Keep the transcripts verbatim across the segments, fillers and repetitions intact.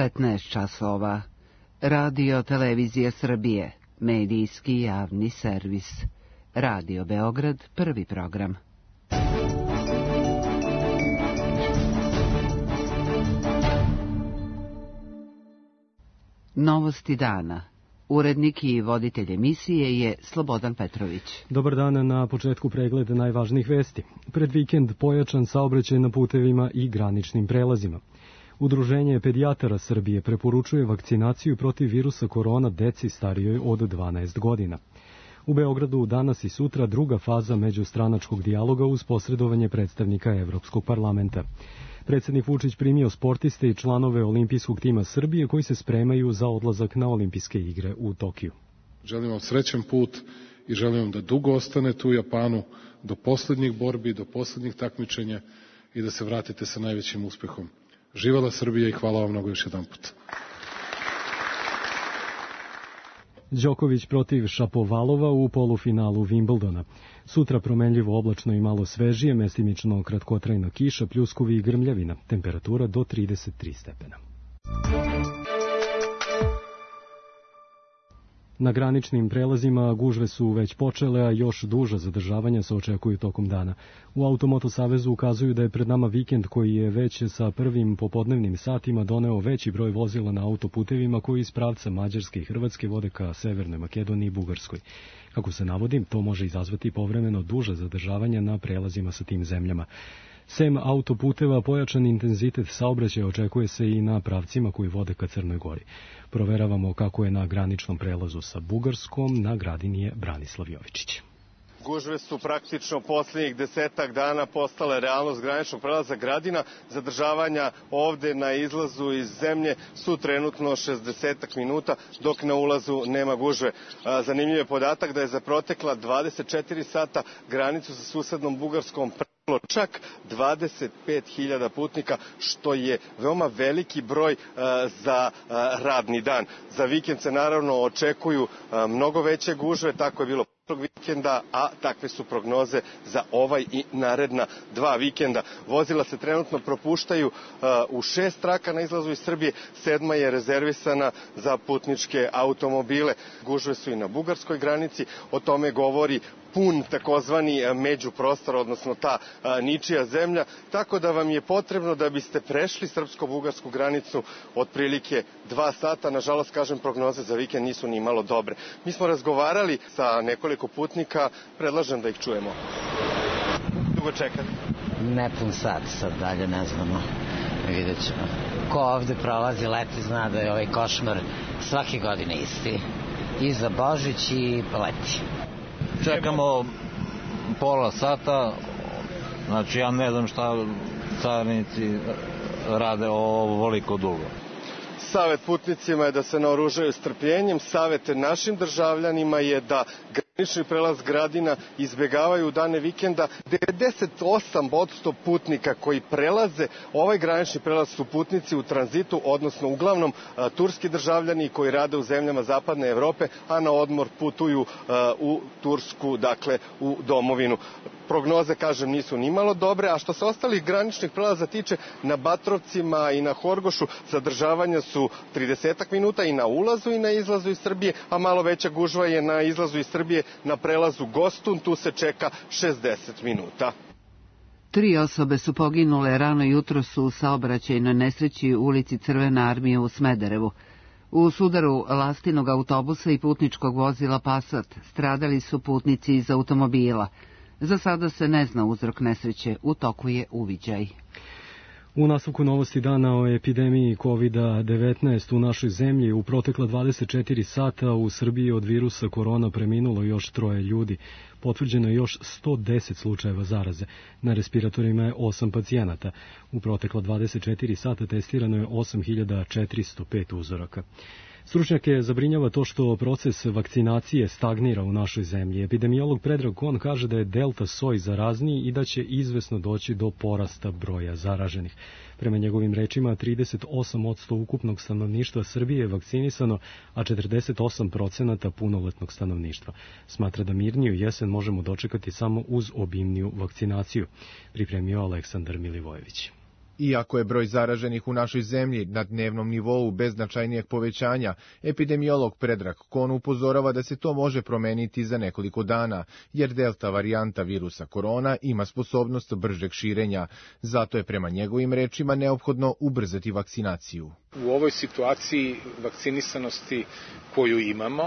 petnaest časova. Radio Televizija Srbije, medijski javni servis. Radio Beograd, prvi program. Novosti dana. Urednik i voditelj emisije je Slobodan Petrović. Dobar dan, na početku pregled najvažnijih vesti. Pred vikend pojačan saobraćaj na putevima i graničnim prelazima. Udruženje pedijatara Srbije preporučuje vakcinaciju protiv virusa korona deci starijoj od dvanaest godina. U Beogradu danas i sutra druga faza međustranačkog dijaloga uz posredovanje predstavnika Evropskog parlamenta. Predsjednik Vučić primio sportiste i članove olimpijskog tima Srbije koji se spremaju za odlazak na olimpijske igre u Tokiju. Želim vam srećan put i želim vam da dugo ostanete u Japanu, do posljednjih borbi, do posljednjih takmičenja i da se vratite sa najvećim uspehom. Živela Srbija i hvala vam mnogo još jedan put. Đoković protiv Šapovalova u polufinalu Wimbledona. Sutra promenljivo oblačno i malo svežije, mestimično kratkotrajna kiša, pljuskovi i grmljavina. Temperatura do trideset tri stepena. Na graničnim prelazima gužve su već počele, a još duža zadržavanja se očekuju tokom dana. U Automoto Savezu ukazuju da je pred nama vikend koji je već sa prvim popodnevnim satima doneo veći broj vozila na autoputevima koji iz pravca Mađarske i Hrvatske vode ka Severnoj Makedoniji i Bugarskoj. Kako se navodi, to može izazvati povremeno duža zadržavanja na prelazima sa tim zemljama. Sem autoputeva, pojačan intenzitet saobraćaja očekuje se i na pravcima koji vode ka Crnoj Gori. Proveravamo kako je na graničnom prelazu sa Bugarskom, na gradini je Branislav Jovičić. Gužve su praktično posljednjih desetak dana postale realnost graničnog prelaza Gradina. Zadržavanja ovde na izlazu iz zemlje su trenutno šezdeset minuta, dok na ulazu nema gužve. Zanimljiv je podatak da je za protekla dvadeset četiri sata granicu sa susednom Bugarskom čak dvadeset pet hiljada putnika, što je veoma veliki broj za radni dan. Za vikend se naravno očekuju mnogo veće gužve, tako je bilo prošlog vikenda, a takve su prognoze za ovaj i naredna dva vikenda. Vozila se trenutno propuštaju u šest traka na izlazu iz Srbije, sedma je rezervisana za putničke automobile. Gužve su i na bugarskoj granici, o tome govori pun takozvani međuprostor, odnosno ta a, ničija zemlja, tako da vam je potrebno da biste prešli srpsko-bugarsku granicu otprilike dva sata. Nažalost, kažem, prognoze za vikend nisu ni malo dobre. Mi smo razgovarali sa nekoliko putnika, predlažem da ih čujemo. Dugo čekati? Nepun sat, sad dalje ne znamo, vidjet ćemo. Ko ovde prolazi leti zna da je ovaj košmar svake godine isti. I za Božić i leti. Čekamo pola sata, znači ja ne znam šta carinici rade ovoliko dugo. Savet putnicima je da se naoružaju strpljenjem, savet našim državljanima je da granični prelaz Gradina izbjegavaju u dane vikenda. devedeset osam posto putnika koji prelaze ovaj granični prelaz su putnici u tranzitu, odnosno uglavnom a, turski državljani koji rade u zemljama zapadne Evrope, a na odmor putuju a, u Tursku, dakle u domovinu. Prognoze, kažem, nisu ni malo dobre, a što se ostalih graničnih prelaza tiče, na Batrovcima i na Horgošu zadržavanja su trideset minuta i na ulazu i na izlazu iz Srbije, a malo veća gužva je na izlazu iz Srbije na prelazu Gostun, tu se čeka šezdeset minuta. Tri osobe su poginule rano jutros u saobraćajnoj nesreći u ulici Crvene armije u Smederevu. U sudaru lastinog autobusa i putničkog vozila Passat stradali su putnici iz automobila. Za sada se ne zna uzrok nesreće, u toku je uviđaj. U nastavku novosti dana o epidemiji kovid devetnaest u našoj zemlji u protekla dvadeset četiri sata u Srbiji od virusa korona preminulo još troje ljudi. Potvrđeno je još sto deset slučajeva zaraze. Na respiratorima je osam pacijenata. U protekla dvadeset četiri sata testirano je osam hiljada četiristo pet uzoraka. Stručnjake zabrinjava to što proces vakcinacije stagnira u našoj zemlji. Epidemiolog Predrag Kon kaže da je delta soj zarazniji i da će izvesno doći do porasta broja zaraženih. Prema njegovim rečima, trideset osam posto ukupnog stanovništva Srbije je vakcinisano, a četrdeset osam procenata punoletnog stanovništva. Smatra da mirniju jesen možemo dočekati samo uz obimniju vakcinaciju, pripremio Aleksandar Milivojević. Iako je broj zaraženih u našoj zemlji na dnevnom nivou bez značajnijeg povećanja, epidemiolog Predrag Kon upozorava da se to može promeniti za nekoliko dana, jer delta varijanta virusa korona ima sposobnost bržeg širenja. Zato je prema njegovim rečima neophodno ubrzati vakcinaciju. U ovoj situaciji vakcinisanosti koju imamo,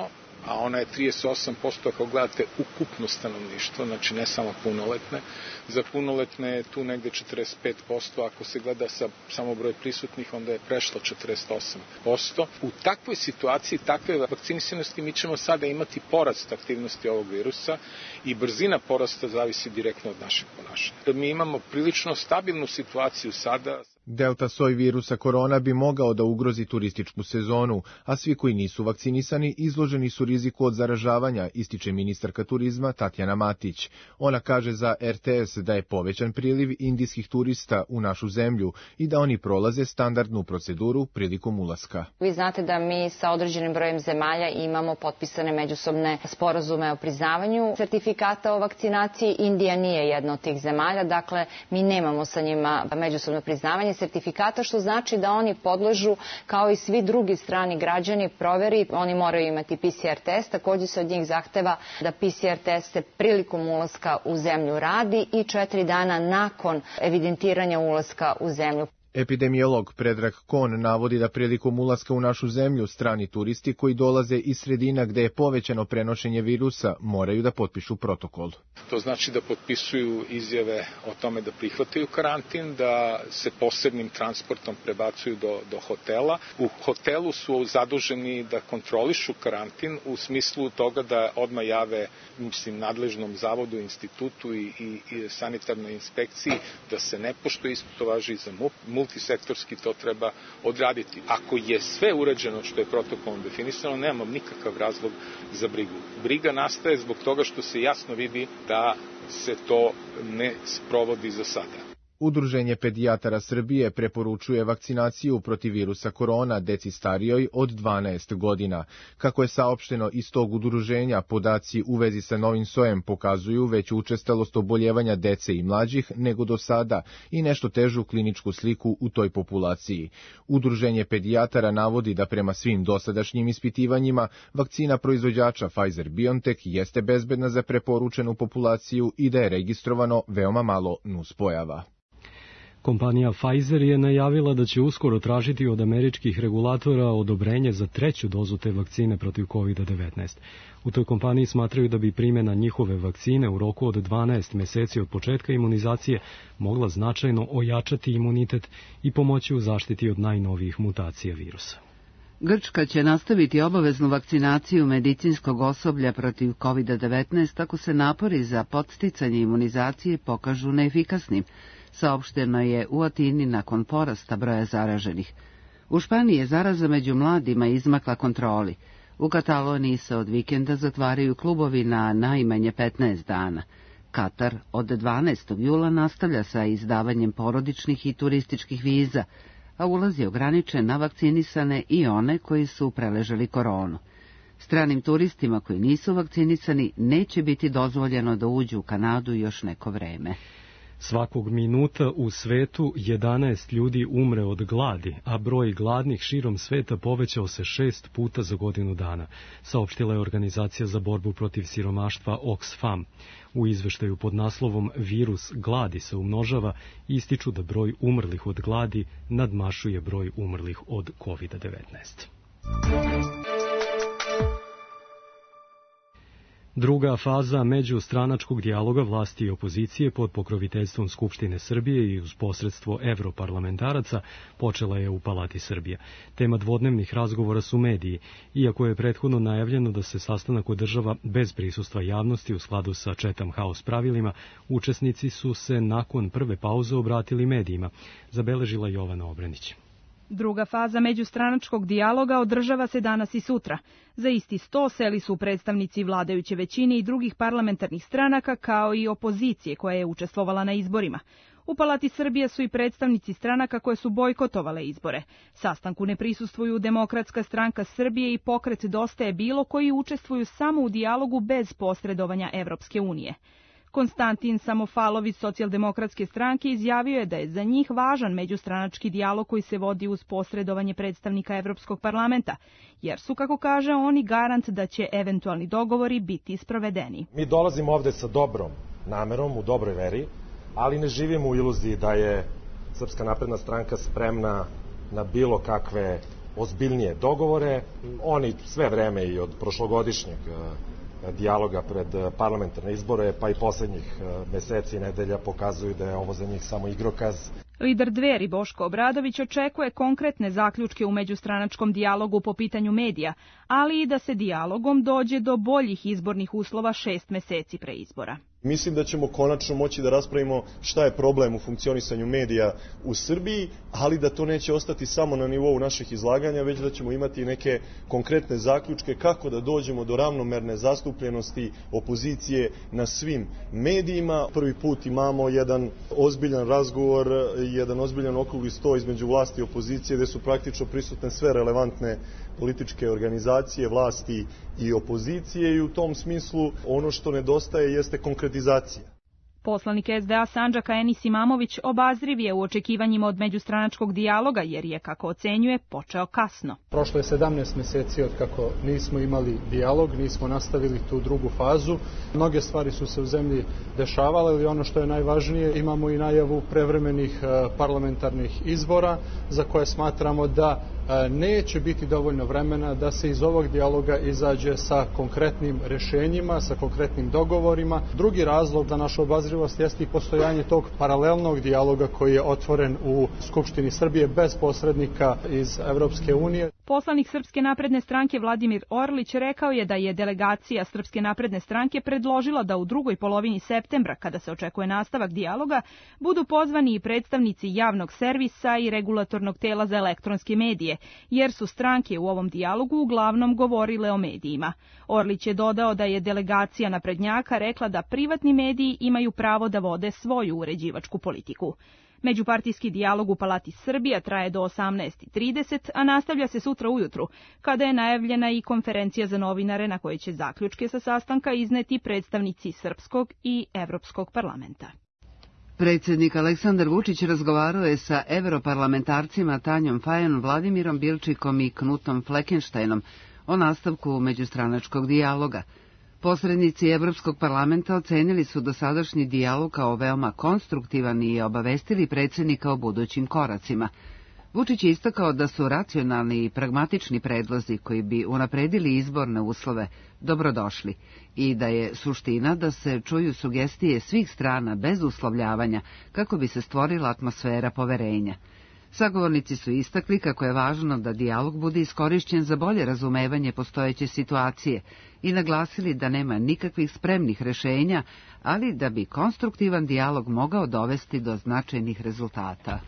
a ona je trideset osam posto ako gledate ukupno stanovništvo, znači ne samo punoletne. Za punoletne je tu negde četrdeset pet posto, ako se gleda sa samo broj prisutnih, onda je prešlo četrdeset osam posto. U takvoj situaciji, takve vakcinisanosti, mi ćemo sada imati porast aktivnosti ovog virusa i brzina porasta zavisi direktno od našeg ponašanja. Mi imamo prilično stabilnu situaciju sada. Delta soj virusa korona bi mogao da ugrozi turističku sezonu, a svi koji nisu vakcinisani izloženi su riziku od zaražavanja, ističe ministarka turizma Tatjana Matić. Ona kaže za er te es da je povećan priliv indijskih turista u našu zemlju i da oni prolaze standardnu proceduru prilikom ulaska. Vi znate da mi sa određenim brojem zemalja imamo potpisane međusobne sporazume o priznavanju sertifikata o vakcinaciji. Indija nije jedna od tih zemalja, dakle mi nemamo sa njima međusobno priznavanje sertifikata, što znači da oni podležu, kao i svi drugi strani građani, proveri. Oni moraju imati pe ce er test, takođe se od njih zahteva da pe ce er test se prilikom ulaska u zemlju radi i četiri dana nakon evidentiranja ulaska u zemlju. Epidemiolog Predrag Kon navodi da prilikom ulaska u našu zemlju strani turisti koji dolaze iz sredina gde je povećano prenošenje virusa moraju da potpišu protokol. To znači da potpisuju izjave o tome da prihvataju karantin, da se posebnim transportom prebacuju do, do hotela. U hotelu su zaduženi da kontrolišu karantin u smislu toga da odmah jave, mislim, nadležnom zavodu, institutu i, i, i sanitarnoj inspekciji da se ne poštuje. Isto to važi i za MUP. Multisektorski to treba odraditi. Ako je sve urađeno što je protokolom definisano, nemam nikakav razlog za brigu. Briga nastaje zbog toga što se jasno vidi da se to ne sprovodi za sada. Udruženje pedijatara Srbije preporučuje vakcinaciju protiv virusa korona deci starijoj od dvanaest godina. Kako je saopšteno iz tog udruženja, podaci u vezi sa novim sojem pokazuju veću učestalost oboljevanja dece i mlađih nego do sada i nešto težu kliničku sliku u toj populaciji. Udruženje pedijatara navodi da prema svim dosadašnjim ispitivanjima vakcina proizvođača Pfizer-BioNTech jeste bezbedna za preporučenu populaciju i da je registrovano veoma malo nuspojava. Kompanija Pfizer je najavila da će uskoro tražiti od američkih regulatora odobrenje za treću dozu te vakcine protiv kovid devetnaest. U toj kompaniji smatraju da bi primjena njihove vakcine u roku od dvanaest meseci od početka imunizacije mogla značajno ojačati imunitet i pomoći u zaštiti od najnovijih mutacija virusa. Grčka će nastaviti obaveznu vakcinaciju medicinskog osoblja protiv kovid devetnaest ako se napori za podsticanje imunizacije pokažu neefikasnim, saopšteno je u Atini nakon porasta broja zaraženih. U Španiji je zaraza među mladima izmakla kontroli. U Kataloniji se od vikenda zatvaraju klubovi na najmanje petnaest dana. Katar od dvanaestog jula nastavlja sa izdavanjem porodičnih i turističkih viza, a ulaz je ograničen na vakcinisane i one koji su preležali koronu. Stranim turistima koji nisu vakcinisani neće biti dozvoljeno da uđu u Kanadu još neko vreme. Svakog minuta u svetu jedanaest ljudi umre od gladi, a broj gladnih širom sveta povećao se šest puta za godinu dana, saopštila je Organizacija za borbu protiv siromaštva Oxfam. U izveštaju pod naslovom Virus gladi se umnožava, ističu da broj umrlih od gladi nadmašuje broj umrlih od kovid devetnaest. Druga faza međustranačkog dijaloga vlasti i opozicije pod pokroviteljstvom Skupštine Srbije i uz posredstvo evroparlamentaraca počela je u Palati Srbija. Tema dvodnevnih razgovora su mediji, iako je prethodno najavljeno da se sastanak održava bez prisustva javnosti u skladu sa Chatham House pravilima, učesnici su se nakon prve pauze obratili medijima, zabeležila Jovana Obrenić. Druga faza međustranačkog dijaloga održava se danas i sutra. Za isti sto seli su predstavnici vladajuće većine i drugih parlamentarnih stranaka, kao i opozicije koja je učestvovala na izborima. U Palati Srbije su i predstavnici stranaka koje su bojkotovale izbore. Sastanku ne prisustvuju Demokratska stranka Srbije i Pokret Dosta je bilo, koji učestvuju samo u dijalogu bez posredovanja Evropske unije. Konstantin Samofalov iz Socijaldemokratske stranke izjavio je da je za njih važan međustranački dijalog koji se vodi uz posredovanje predstavnika Evropskog parlamenta, jer su, kako kaže, oni garant da će eventualni dogovori biti sprovedeni. Mi dolazimo ovde sa dobrom namerom, u dobroj veri, ali ne živimo u iluziji da je Srpska napredna stranka spremna na bilo kakve ozbiljnije dogovore. Oni sve vreme i od prošlogodišnjeg dijaloga pred parlamentarne izbore, pa i poslednjih meseci i nedelja pokazuju da je ovo za njih samo igrokaz. Lider Dveri Boško Obradović očekuje konkretne zaključke u međustranačkom dijalogu po pitanju medija, ali i da se dijalogom dođe do boljih izbornih uslova šest meseci pre izbora. Mislim da ćemo konačno moći da raspravimo šta je problem u funkcionisanju medija u Srbiji, ali da to neće ostati samo na nivou naših izlaganja, već da ćemo imati neke konkretne zaključke kako da dođemo do ravnomerne zastupljenosti opozicije na svim medijima. Prvi put imamo jedan ozbiljan razgovor, jedan ozbiljan okrugli sto između vlasti i opozicije, gde su praktično prisutne sve relevantne političke organizacije, vlasti i opozicije, i u tom smislu ono što nedostaje jeste konkretizacija. Poslanik es de a Sandžaka Enis Imamović obazriv je u očekivanjima od međustranačkog dijaloga, jer je, kako ocenjuje, počeo kasno. Prošlo je sedamnaest meseci od kako nismo imali dijalog, nismo nastavili tu drugu fazu. Mnoge stvari su se u zemlji dešavale, ali ono što je najvažnije, imamo i najavu prevremenih parlamentarnih izbora, za koje smatramo da neće biti dovoljno vremena da se iz ovog dijaloga izađe sa konkretnim rešenjima, sa konkretnim dogovorima. Drugi razlog za našu obazrivost jeste i postojanje tog paralelnog dijaloga koji je otvoren u Skupštini Srbije bez posrednika iz Evropske unije. Poslanik Srpske napredne stranke Vladimir Orlić rekao je da je delegacija Srpske napredne stranke predložila da u drugoj polovini septembra, kada se očekuje nastavak dijaloga, budu pozvani i predstavnici javnog servisa i regulatornog tela za elektronske medije, jer su stranke u ovom dijalogu uglavnom govorile o medijima. Orlić je dodao da je delegacija naprednjaka rekla da privatni mediji imaju pravo da vode svoju uređivačku politiku. Međupartijski dijalog u Palati Srbija traje do osamnaest i trideset, a nastavlja se sutra ujutru, kada je najavljena i konferencija za novinare na kojoj će zaključke sa sastanka izneti predstavnici Srpskog i Evropskog parlamenta. Predsjednik Aleksandar Vučić razgovarao je sa evroparlamentarcima Tanjom Fajon, Vladimirom Bilčikom i Knutom Fleckensteinom o nastavku međustranačkog dijaloga. Posrednici Evropskog parlamenta ocenili su dosadašnji dijalog kao veoma konstruktivan i obavestili predsjednika o budućim koracima. Vučić je istakao da su racionalni i pragmatični predlozi koji bi unapredili izborne uslove dobrodošli i da je suština da se čuju sugestije svih strana bez uslovljavanja kako bi se stvorila atmosfera poverenja. Sagovornici su istakli kako je važno da dijalog bude iskorišćen za bolje razumevanje postojeće situacije i naglasili da nema nikakvih spremnih rešenja, ali da bi konstruktivan dijalog mogao dovesti do značajnih rezultata.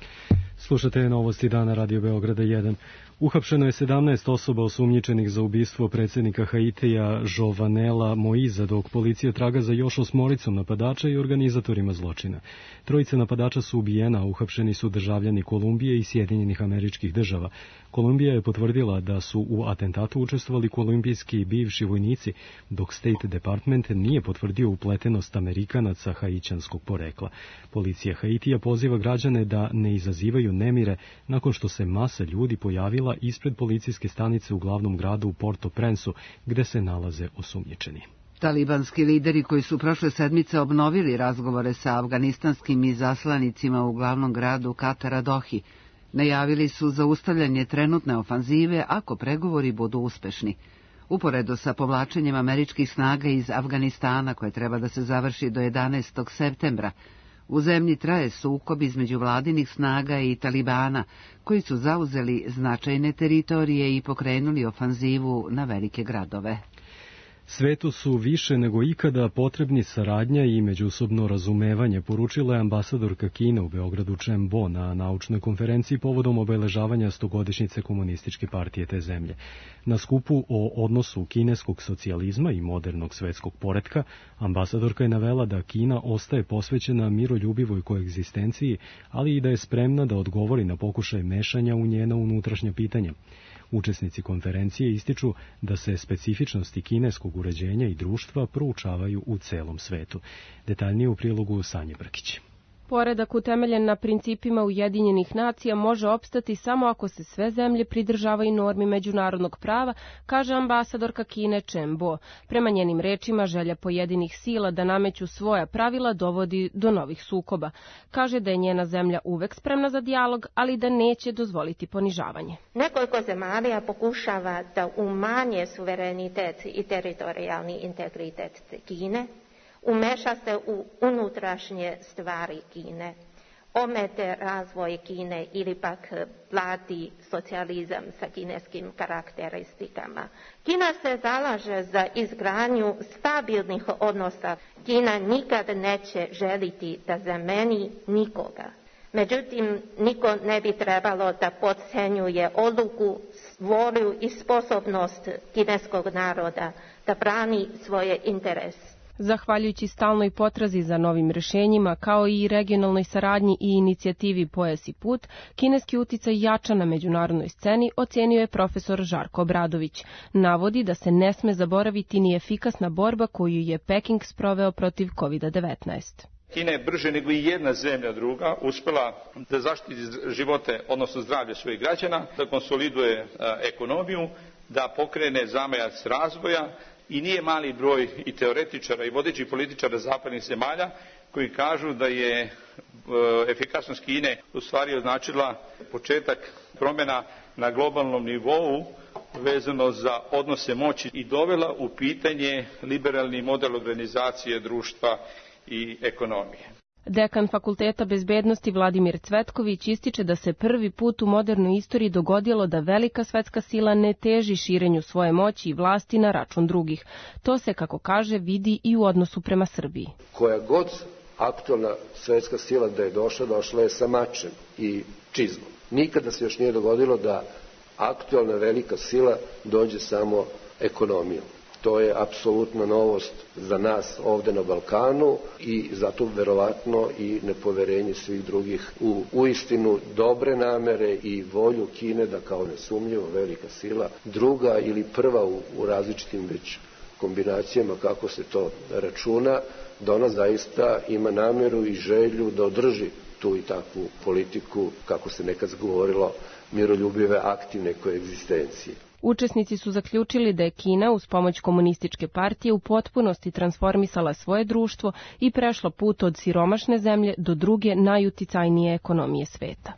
Slušate novosti dana Radio Beograda jedan. Uhapšeno je sedamnaest osoba osumnjičenih za ubistvo predsjednika Haitija Jovenela Moiza, dok policija traga za još osmoricom napadača i organizatorima zločina. Trojica napadača su ubijena, a uhapšeni su državljani Kolumbije i Sjedinjenih Američkih Država. Kolumbija je potvrdila da su u atentatu učestvovali kolumbijski bivši vojnici, dok State Department nije potvrdio upletenost Amerikanaca haićanskog porekla. Policija Haitija poziva građane da ne izazivaju nemire nakon što se masa ljudi pojavila ispred policijske stanice u glavnom gradu u Port-au-Prince-u, gde se nalaze osumnjičeni. Talibanski lideri koji su prošle sedmice obnovili razgovore sa afganistanskim izaslanicima u glavnom gradu Katara Dohi, najavili su zaustavljanje trenutne ofanzive ako pregovori budu uspešni. Uporedo sa povlačenjem američkih snaga iz Afganistana, koje treba da se završi do jedanaestog septembra, u zemlji traje sukob između vladinih snaga i Talibana, koji su zauzeli značajne teritorije i pokrenuli ofanzivu na velike gradove. Svetu su više nego ikada potrebni saradnja i međusobno razumevanje, poručila je ambasadorka Kine u Beogradu Chen Bo na naučnoj konferenciji povodom obeležavanja stogodišnjice komunističke partije te zemlje. Na skupu o odnosu kineskog socijalizma i modernog svetskog poretka, ambasadorka je navela da Kina ostaje posvećena miroljubivoj koegzistenciji, ali i da je spremna da odgovori na pokušaj mešanja u njena unutrašnja pitanja. Učesnici konferencije ističu da se specifičnosti kineskog uređenja i društva proučavaju u celom svetu. Detaljnije u prilogu Sanje Brkić. Poredak utemeljen na principima Ujedinjenih nacija može opstati samo ako se sve zemlje pridržavaju normi međunarodnog prava, kaže ambasadorka Kine Chen Bo. Prema njenim rečima, želja pojedinih sila da nameću svoja pravila dovodi do novih sukoba. Kaže da je njena zemlja uvek spremna za dijalog, ali da neće dozvoliti ponižavanje. Nekoliko zemalja pokušava da umanje suverenitet i teritorijalni integritet Kine, umeša se u unutrašnje stvari Kine, omete razvoj Kine ili pak vladi socijalizam sa kineskim karakteristikama. Kina se zalaže za izgradnju stabilnih odnosa. Kina nikad neće želiti da zameni nikoga. Međutim, niko ne bi trebalo da podcenjuje odluku, volju i sposobnost kineskog naroda da brani svoje interese. Zahvaljujući stalnoj potrazi za novim rešenjima, kao i regionalnoj saradnji i inicijativi Pojas i put, kineski uticaj jača na međunarodnoj sceni, ocenio je profesor Žarko Obradović. Navodi da se ne sme zaboraviti ni efikasna borba koju je Peking sproveo protiv kovid devetnaest. Kina je brže nego i jedna zemlja druga uspela da zaštiti živote, odnosno zdravlje svojih građana, da konsoliduje ekonomiju, da pokrene zamajac razvoja. I nije mali broj i teoretičara i vodećih političara zapadnih zemalja koji kažu da je e, efikasnost Kine u stvari označila početak promjena na globalnom nivou vezano za odnose moći i dovela u pitanje liberalni model organizacije društva i ekonomije. Dekan Fakulteta bezbednosti Vladimir Cvetković ističe da se prvi put u modernoj istoriji dogodilo da velika svetska sila ne teži širenju svoje moći i vlasti na račun drugih. To se, kako kaže, vidi i u odnosu prema Srbiji. Koja god aktualna svetska sila da je došla, došla je sa mačem i čizmom. Nikada se još nije dogodilo da aktualna velika sila dođe samo ekonomijom. To je apsolutna novost za nas ovde na Balkanu i zato verovatno i nepoverenje svih drugih u uistinu dobre namere i volju Kine da kao nesumnjivo velika sila, druga ili prva u, u različitim već kombinacijama kako se to računa, da ona zaista ima nameru i želju da održi tu i takvu politiku, kako se nekad govorilo, miroljubive aktivne koegzistencije. Učesnici su zaključili da je Kina uz pomoć komunističke partije u potpunosti transformisala svoje društvo i prešla put od siromašne zemlje do druge najuticajnije ekonomije sveta.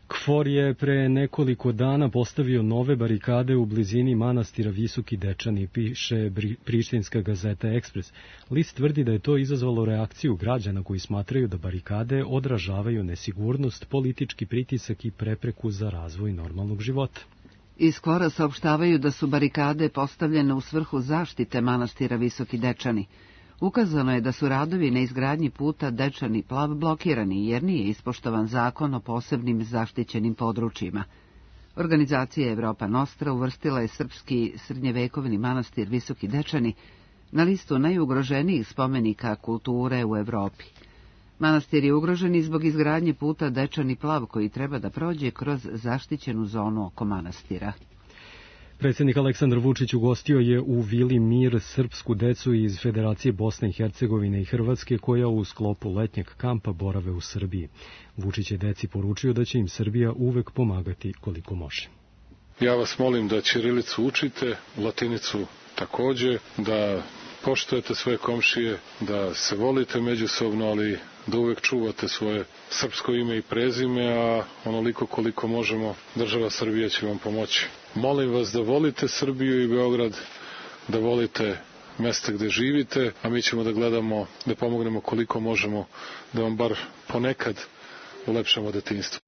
KFOR je pre nekoliko dana postavio nove barikade u blizini manastira Visoki Dečani, piše prištinska gazeta Ekspres. List tvrdi da je to izazvalo reakciju građana koji smatraju da barikade odražavaju nesigurnost, politički pritisak i prepreku za razvoj normalnog života. Iz KFOR-a saopštavaju da su barikade postavljene u svrhu zaštite manastira Visoki Dečani. Ukazano je da su radovi na izgradnji puta Dečani Plav blokirani jer nije ispoštovan zakon o posebnim zaštićenim područjima. Organizacija Evropa Nostra uvrstila je srpski srednjevekovni manastir Visoki Dečani na listu najugroženijih spomenika kulture u Evropi. Manastir je ugrožen i zbog izgradnje puta Dečani Plav koji treba da prođe kroz zaštićenu zonu oko manastira. Predsjednik Aleksandar Vučić ugostio je u Vili Mir srpsku decu iz Federacije Bosne i Hercegovine i Hrvatske koja u sklopu letnjeg kampa borave u Srbiji. Vučić je deci poručio da će im Srbija uvek pomagati koliko može. Ja vas molim da ćirilicu učite, latinicu takođe, da poštujete svoje komšije, da se volite međusobno, ali da uvek čuvate svoje srpsko ime i prezime, a onoliko koliko možemo, država Srbija će vam pomoći. Molim vas da volite Srbiju i Beograd, da volite mesta gde živite, a mi ćemo da gledamo, da pomognemo koliko možemo, da vam bar ponekad ulepšamo detinjstvo.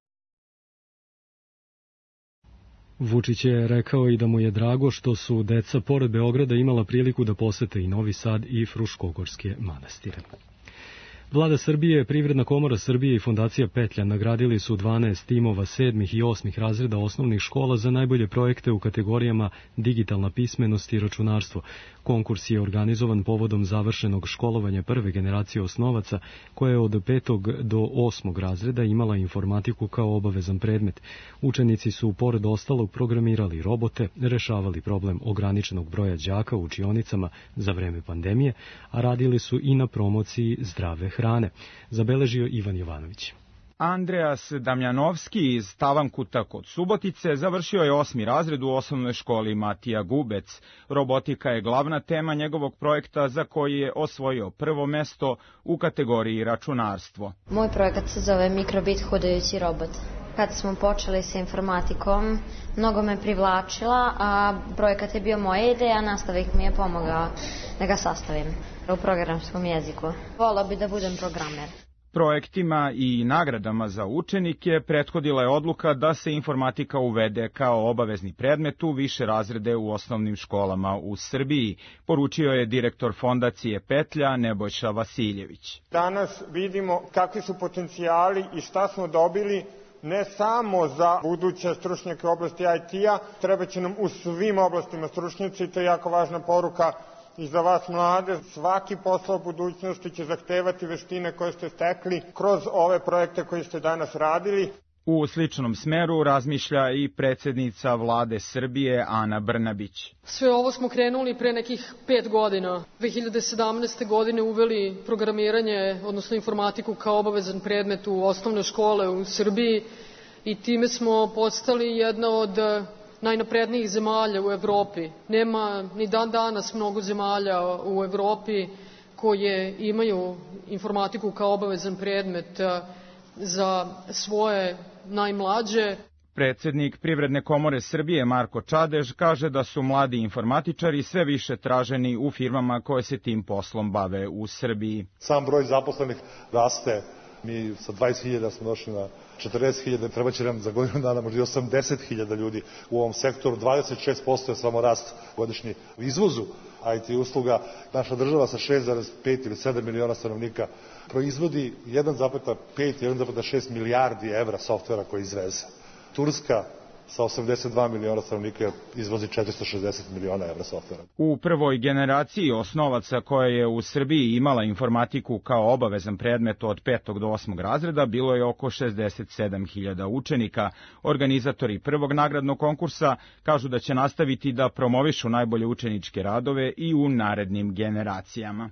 Vučić je rekao i da mu je drago što su deca pored Beograda imala priliku da posete i Novi Sad i Fruškogorske manastire. Vlada Srbije, Privredna komora Srbije i Fondacija Petlja nagradili su dvanaest timova sedmih i osmih razreda osnovnih škola za najbolje projekte u kategorijama digitalna pismenost i računarstvo. Konkurs je organizovan povodom završenog školovanja prve generacije osnovaca, koja je od petog do osmog razreda imala informatiku kao obavezan predmet. Učenici su, pored ostalog, programirali robote, rešavali problem ograničenog broja đaka u učionicama za vreme pandemije, a radili su i na promociji zdrave hrane, zabeležio Ivan Jovanović. Andreas Damjanovski iz Tavankuta kod Subotice završio je osmi razred u osnovnoj školi Matija Gubec. Robotika je glavna tema njegovog projekta za koji je osvojio prvo mesto u kategoriji računarstvo. Moj projekat se zove Mikrobit hodajući robot. Kad smo počeli sa informatikom, mnogo me privlačila, a projekat je bio moja ideja, nastavnik mi je pomogao da ga sastavim u programskom jeziku. Volila bi da budem programer. Projektima i nagradama za učenike prethodila je odluka da se informatika uvede kao obavezni predmet u više razrede u osnovnim školama u Srbiji, poručio je direktor Fondacije Petlja Nebojša Vasiljević. Danas vidimo kakvi su potencijali i šta smo dobili ne samo za buduće stručnjake u oblasti I T-a, treba će nam u svim oblastima stručnjaci, to je jako važna poruka i za vas mlade. Svaki posao u budućnosti će zahtevati veštine koje ste stekli kroz ove projekte koje ste danas radili. U sličnom smeru razmišlja i predsjednica vlade Srbije Ana Brnabić. Sve ovo smo krenuli pre nekih pet godina. dve hiljade sedamnaeste. godine uveli programiranje, odnosno informatiku kao obavezan predmet u osnovne škole u Srbiji i time smo postali jedna od najnaprednijih zemalja u Evropi. Nema ni dan danas mnogo zemalja u Evropi koje imaju informatiku kao obavezan predmet za svoje najmlađe. Predsjednik Privredne komore Srbije Marko Čadež kaže da su mladi informatičari sve više traženi u firmama koje se tim poslom bave u Srbiji. Sam broj zaposlenih raste. Mi sa dvadeset hiljada smo došli na četrdeset hiljada, treba će nam za godinu dana možda i osamdeset hiljada ljudi u ovom sektoru. dvadeset šest posto je samo rast godišnji u izvozu I T usluga. Naša država sa šest zarez pet ili sedam miliona stanovnika proizvodi jedan zarez pet, jedan zarez šest milijardi evra softvera koji izveze. Turska sa osamdeset dva miliona stanovnika izvozi četiristo šezdeset miliona evra softvera. U prvoj generaciji osnovaca koja je u Srbiji imala informatiku kao obavezan predmet od petog do osmog razreda bilo je oko šezdeset sedam hiljada učenika. Organizatori prvog nagradnog konkursa kažu da će nastaviti da promovišu najbolje učeničke radove i u narednim generacijama.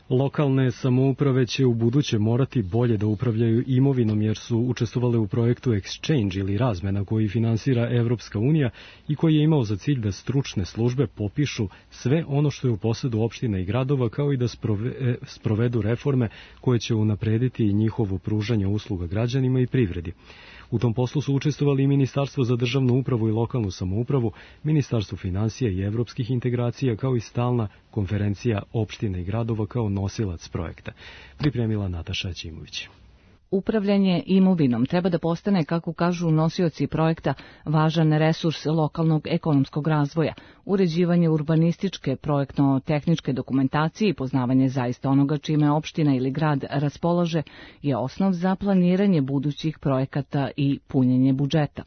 Lokalne samouprave će u buduće morati bolje da upravljaju imovinom jer su učestvovale u projektu Exchange ili razmena koji finansira Evropska unija i koji je imao za cilj da stručne službe popišu sve ono što je u posedu opština i gradova kao i da sprovedu reforme koje će unaprediti njihovo pružanje usluga građanima i privredi. U tom poslu su učestvovali i Ministarstvo za državnu upravu i lokalnu samoupravu, Ministarstvo finansija i evropskih integracija, kao i stalna konferencija opština i gradova kao nosilac projekta. Pripremila Nataša Ćimović. Upravljanje imovinom treba da postane, kako kažu nosioci projekta, važan resurs lokalnog ekonomskog razvoja. Uređivanje urbanističke, projektno-tehničke dokumentacije i poznavanje zaista onoga čime opština ili grad raspolaže je osnov za planiranje budućih projekata i punjenje budžeta.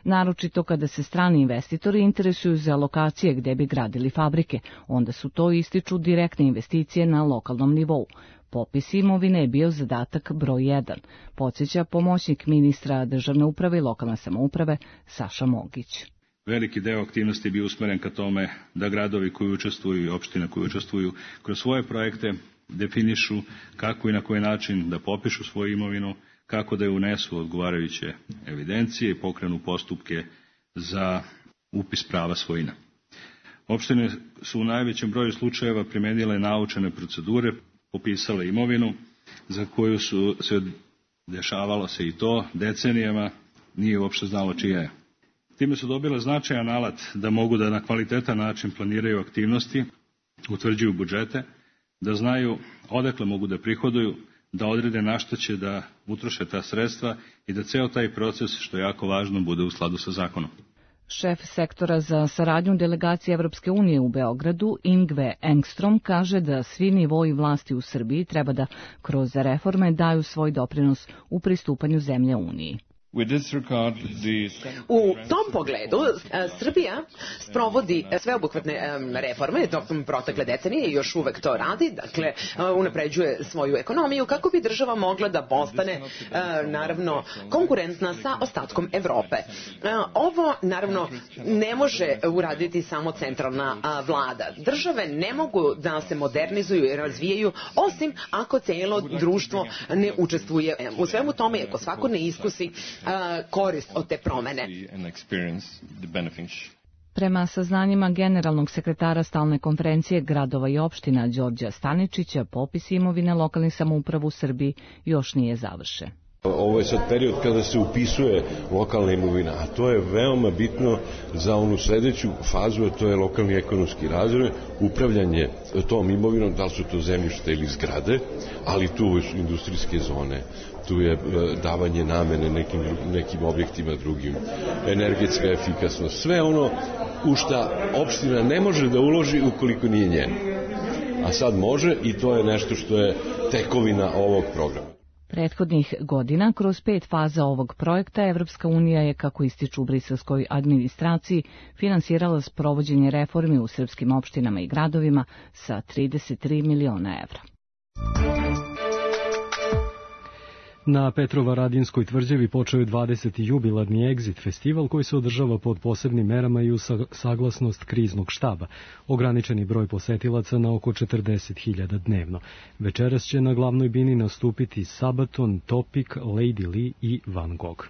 Naročito kada se strani investitori interesuju za lokacije gde bi gradili fabrike, onda su to ističu direktne investicije na lokalnom nivou. Popis imovine je bio zadatak broj jedan, podsjeća pomoćnik ministra državne uprave i lokalne samouprave Saša Mogić. Veliki deo aktivnosti je bio usmeren ka tome da gradovi koji učestvuju i opštine koji učestvuju kroz svoje projekte definišu kako i na koji način da popišu svoju imovinu, kako da je unesu odgovarajuće evidencije i pokrenu postupke za upis prava svojina. Opštine su u najvećem broju slučajeva primenile naučene procedure, popisale imovinu za koju su se dešavalo se i to decenijama, nije uopšte znalo čija je. Time su dobile značajan alat da mogu da na kvalitetan način planiraju aktivnosti, utvrđuju budžete, da znaju odakle mogu da prihoduju, da odrede na što će da utroše ta sredstva i da ceo taj proces, što je jako važno, bude u skladu sa zakonom. Šef sektora za saradnju delegacije Evropske unije u Beogradu, Ingve Engstrom, kaže da svi nivoi vlasti u Srbiji treba da kroz reforme daju svoj doprinos u pristupanju zemlje Uniji. U tom pogledu Srbija sprovodi sveobuhvatne reforme tokom protekle decenije i još uvek to radi, dakle unapređuje svoju ekonomiju kako bi država mogla da postane naravno konkurentna sa ostatkom Evrope. Ovo naravno ne može uraditi samo centralna vlada. Države ne mogu da se modernizuju i razvijaju osim ako cijelo društvo ne učestvuje u svemu tome i ako svako ne iskusi korist od te promene. Prema saznanjima generalnog sekretara stalne konferencije gradova i opština Đorđa Staničića, popis imovine lokalnih samouprava u Srbiji još nije završen. Ovo je sad period kada se upisuje lokalna imovina, a to je veoma bitno za onu sledeću fazu, a to je lokalni ekonomski razvoj, upravljanje tom imovinom, da li su to zemljište ili zgrade, ali tu su industrijske zone, tu je davanje namene nekim, nekim objektima drugim, energetska efikasnost, sve ono u šta opština ne može da uloži ukoliko nije njeno. A sad može i to je nešto što je tekovina ovog programa. Prethodnih godina, kroz pet faza ovog projekta, Evropska unija je, kako ističu u briselskoj administraciji, finansirala sprovođenje reformi u srpskim opštinama i gradovima sa trideset tri miliona evra. Na Petrovaradinskoj tvrđavi počeo je dvadeseti jubilarni Exit festival koji se održava pod posebnim merama i u saglasnost kriznog štaba. Ograničeni broj posetilaca na oko četrdeset hiljada dnevno. Večeras će na glavnoj bini nastupiti Sabaton, Topic, Lady Lee i Van Gogh.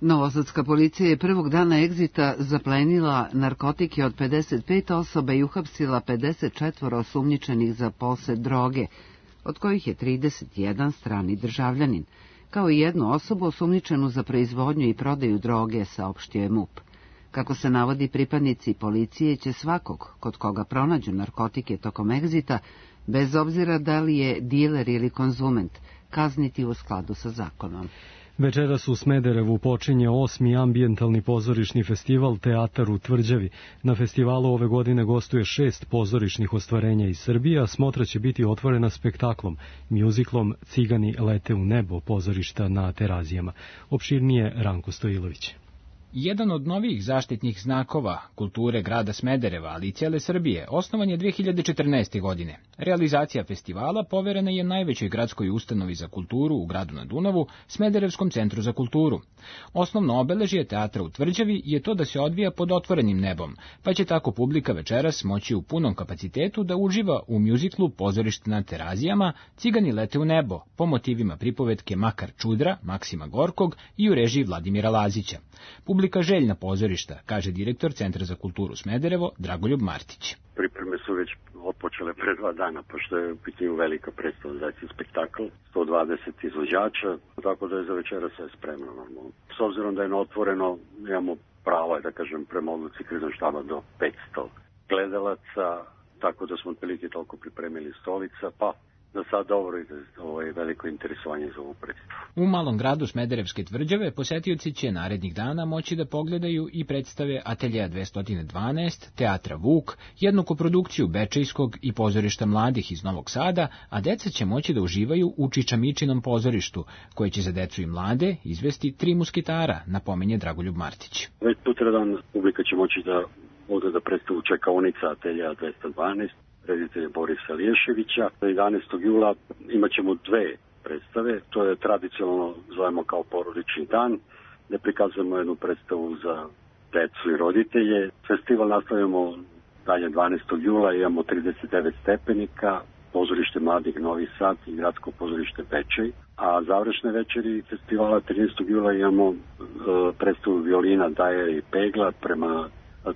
Novosadska policija je prvog dana Exita zaplenila narkotike od pedeset pet osoba i uhapsila pedeset četvoro osumnjičenih za posed droge, od kojih je trideset jedan strani državljanin, kao i jednu osobu osumnjičenu za proizvodnju i prodaju droge, saopštio je M U P. Kako se navodi, pripadnici policije će svakog kod koga pronađu narkotike tokom Exita, bez obzira da li je diler ili konzument, kazniti u skladu sa zakonom. Večeras u Smederevu počinje osmi ambijentalni pozorišni festival Teatar u Tvrđavi. Na festivalu ove godine gostuje šest pozorišnih ostvarenja iz Srbije, a smotra će biti otvorena spektaklom, mjuziklom Cigani lete u nebo pozorišta na Terazijama. Opširnije Ranko Stojilović. Jedan od novih zaštitnih znakova kulture grada Smedereva, ali i cijele Srbije, osnovan je dve hiljade četrnaeste. godine. Realizacija festivala poverena je najvećoj gradskoj ustanovi za kulturu u gradu na Dunavu, Smederevskom centru za kulturu. Osnovno obeležje Teatra u Tvrđavi je to da se odvija pod otvorenim nebom, pa će tako publika večeras moći u punom kapacitetu da uživa u mjuziklu Pozorište na Terazijama Cigani lete u nebo, po motivima pripovetke Makar Čudra, Maksima Gorkog i u režiji Vladimira Lazića. Publika željna pozorišta, kaže direktor Centra za kulturu Smederevo, Dragoljub Martić. Pripreme su već otpočele pre dva dana, pošto je u pitanju velika predstava, znači spektakl, sto dvadeset izvođača, tako da je za večera sve spremno normalno. S obzirom da je na otvoreno, imamo pravo, da kažem, prema odluci kriznog štaba do petsto gledalaca, tako da smo otprilike toliko pripremili stolica, pa da sad dobro ide ovo je veliko interesovanje za ovu predstavu. U malom gradu Smederevske Tvrđave posetioci će narednih dana moći da pogledaju i predstave Ateljeja dvesta dvanaest, Teatra Vuk, jednu koprodukciju Bečejskog i pozorišta mladih iz Novog Sada, a deca će moći da uživaju u Čičamičinom pozorištu, koje će za decu i mlade izvesti Tri musketara, napominje Dragoljub Martić. Već sutradan publika će moći da ode da predstavu Čekaonica Ateljeja dvesta dvanaest, reditelja Borisa Liješevića. jedanaestog jula imat ćemo dve predstave, to je tradicionalno zovemo kao porodični dan, gde prikazujemo jednu predstavu za decu i roditelje. Festival nastavljamo dalje dvanaestog jula, imamo trideset devet stepenika, pozorište mladih Novi Sad i gradsko pozorište Bečej, a završne večeri festivala trinaestog jula imamo e, predstavu violina Daje i Pegla prema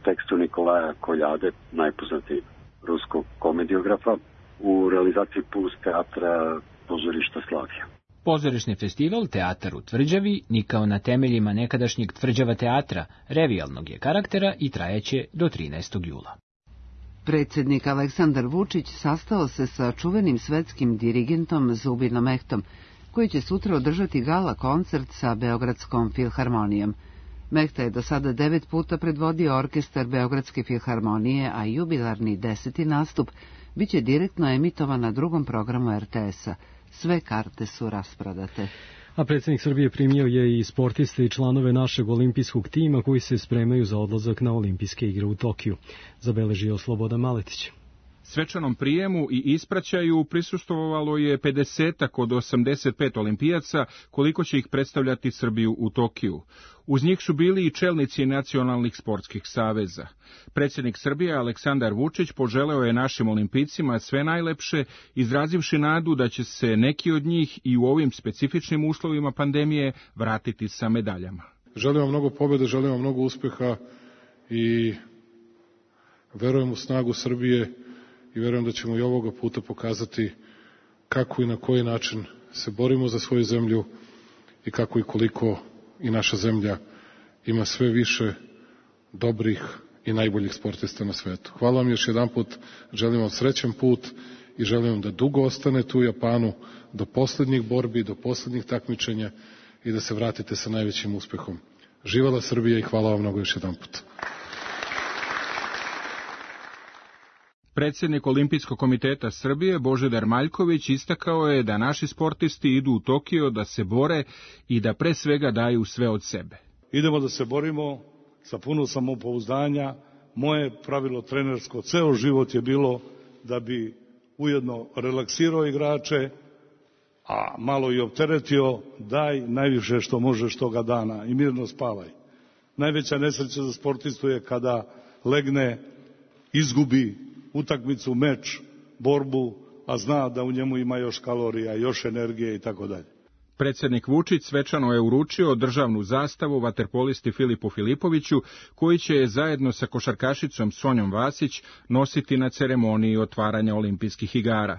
tekstu Nikolaja Koljade, najpoznatijeg ruskog komediografa, u realizaciji Puls teatra pozorišta Slavija. Pozorišni festival Teatar u Tvrđavi nikao na temeljima nekadašnjeg Tvrđava teatra, revijalnog je karaktera i trajeće do trinaestog jula. Predsjednik Aleksandar Vučić sastao se sa čuvenim svetskim dirigentom Zubinom Ehtom, koji će sutra održati gala koncert sa Beogradskom filharmonijom. Mehta je do sada devet puta predvodio orkestar Beogradske filharmonije, a jubilarni deseti nastup biće direktno emitovan na drugom programu er te es-a. Sve karte su rasprodate. A predsjednik Srbije primio je i sportiste i članove našeg olimpijskog tima koji se spremaju za odlazak na olimpijske igre u Tokiju, zabeležio Slobodan Maletić. Svečanom prijemu i ispraćaju prisustvovalo je pedesetak od osamdeset pet olimpijaca, koliko će ih predstavljati Srbiju u Tokiju. Uz njih su bili i čelnici nacionalnih sportskih saveza. Predsjednik Srbije Aleksandar Vučić poželeo je našim olimpijcima sve najlepše, izrazivši nadu da će se neki od njih i u ovim specifičnim uslovima pandemije vratiti sa medaljama. Želim vam mnogo pobjede, želim vam mnogo uspeha i verujem u snagu Srbije i verujem da ćemo i ovoga puta pokazati kako i na koji način se borimo za svoju zemlju i kako i koliko i naša zemlja ima sve više dobrih i najboljih sportista na svetu. Hvala vam još jedan put, želim vam srećan put i želim vam da dugo ostanete u Japanu do poslednjih borbi, do poslednjih takmičenja i da se vratite sa najvećim uspehom. Živela Srbija i hvala vam mnogo još jedan put. Predsjednik Olimpijskog komiteta Srbije Božidar Maljković istakao je da naši sportisti idu u Tokio da se bore i da pre svega daju sve od sebe. Idemo da se borimo sa puno samopouzdanja. Moje pravilo trenersko ceo život je bilo da bi ujedno relaksirao igrače, a malo i opteretio, daj najviše što možeš toga dana i mirno spavaj. Najveća nesreća za sportistu je kada legne, izgubi utakmicu, meč, borbu, a zna da u njemu ima još kalorija, još energije i tako dalje. Predsjednik Vučić svečano je uručio državnu zastavu vaterpolisti Filipu Filipoviću, koji će je zajedno sa košarkašicom Sonjom Vasić nositi na ceremoniji otvaranja olimpijskih igara.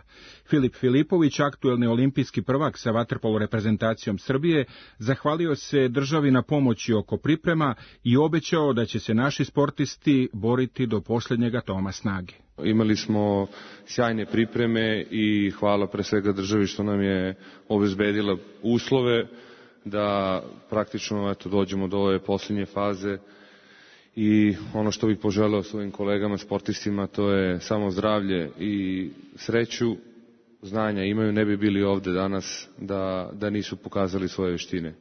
Filip Filipović, aktuelni olimpijski prvak sa vaterpolo reprezentacijom Srbije, zahvalio se državi na pomoći oko priprema i obećao da će se naši sportisti boriti do posljednjeg atoma snage. Imali smo sjajne pripreme i hvala pre svega državi što nam je obezbedila uslove da praktično eto, dođemo do ove posljednje faze i ono što bih poželeo svojim kolegama sportistima to je samo zdravlje i sreću, znanja imaju, ne bi bili ovde danas da, da nisu pokazali svoje veštine.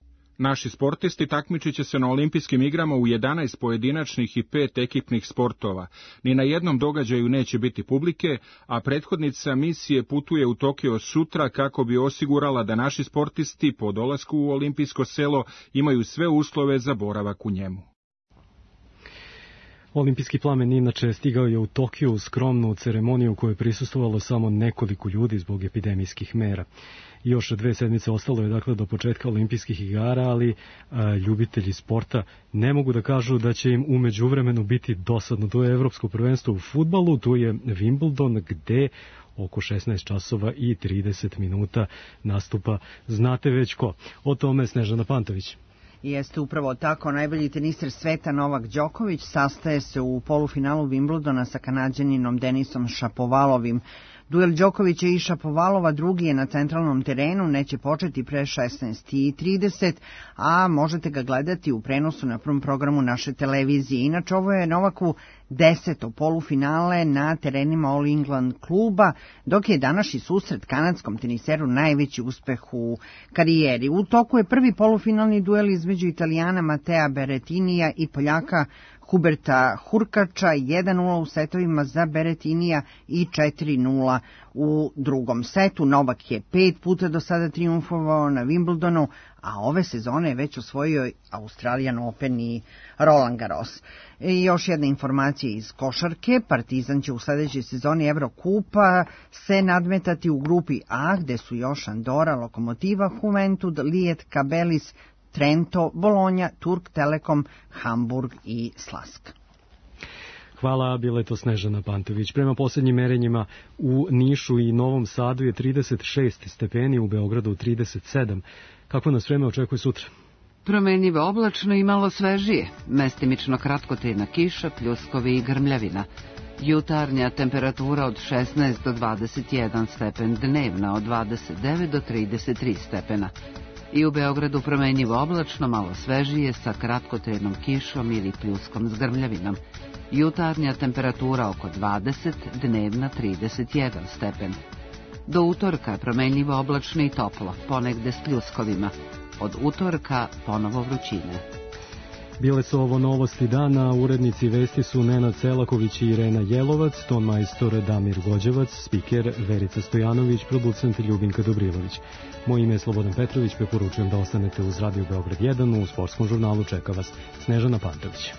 Naši sportisti takmičit će se na olimpijskim igrama u jedanaest pojedinačnih i pet ekipnih sportova. Ni na jednom događaju neće biti publike, a prethodnica misije putuje u Tokio sutra kako bi osigurala da naši sportisti po dolasku u olimpijsko selo imaju sve uslove za boravak u njemu. Olimpijski plamen inače stigao je u Tokiju u skromnu ceremoniju koju je prisustvovalo samo nekoliko ljudi zbog epidemijskih mera. Još dve sedmice ostalo je dakle do početka olimpijskih igara, ali a, ljubitelji sporta ne mogu da kažu da će im u međuvremenu biti dosadno. To je Evropsko prvenstvo u fudbalu, tu je Wimbledon gde oko šesnaest časova i trideset minuta nastupa znate već ko. O tome Snežana Pantović. Jeste upravo tako, najbolji teniser sveta Novak Đoković sastaje se u polufinalu Wimbledona sa Kanađaninom Denisom Šapovalovim. Duel Đokovića i Šapovalova drugi je na centralnom terenu, neće početi pre šesnaest i trideset, a možete ga gledati u prenosu na prvom programu naše televizije. Inače, ovo je Novaku deseto polufinale na terenima All England kluba, dok je današnji susret kanadskom teniseru najveći uspeh u karijeri. U toku je prvi polufinalni duel između Italijana Matea Berettinija i Poljaka Huberta Hurkača, jedan nula u setovima za Berettinija i četiri nula u drugom setu. Novak je pet puta do sada triumfovao na Wimbledonu, a ove sezone je već osvojio Australian Open i Roland Garros. I još jedna informacija iz košarke. Partizan će u sledećoj sezoni Evrokupa se nadmetati u grupi A, gde su još Andora, Lokomotiva, Juventud, Lijet, Kabelis, Trento, Bolonja, Turk Telekom, Hamburg i Slask. Hvala, bila je to Snežana Pantović. Prema posljednjim merenjima u Nišu i Novom Sadu je trideset šest stepeni, u Beogradu trideset sedam. Kako nas vreme očekuje sutra? Promenljivo oblačno i malo svežije, mestimično kratkotrajna kiša, pljuskovi i grmljavina. Jutarnja temperatura od šesnaest do dvadeset jedan stepen, dnevna od dvadeset devet do trideset tri stepena. I u Beogradu promenjivo oblačno, malo svežije, sa kratkotrenom kišom ili pljuskom s grmljavinom. Jutarnja temperatura oko dvadeset, dnevna trideset jedan stepen. Do utorka promenjivo oblačno i toplo, ponegde s pljuskovima. Od utorka ponovo vrućine. Bile su ovo novosti dana, urednici vesti su Nenad Selaković i Irena Jelovac, ton majstor Damir Gođevac, spiker Verica Stojanović, producent Ljubinka Dobrilović. Moje ime je Slobodan Petrović, preporučujem da ostanete uz Radio Beograd jedan, u sportskom žurnalu čeka vas Snežana Pantović.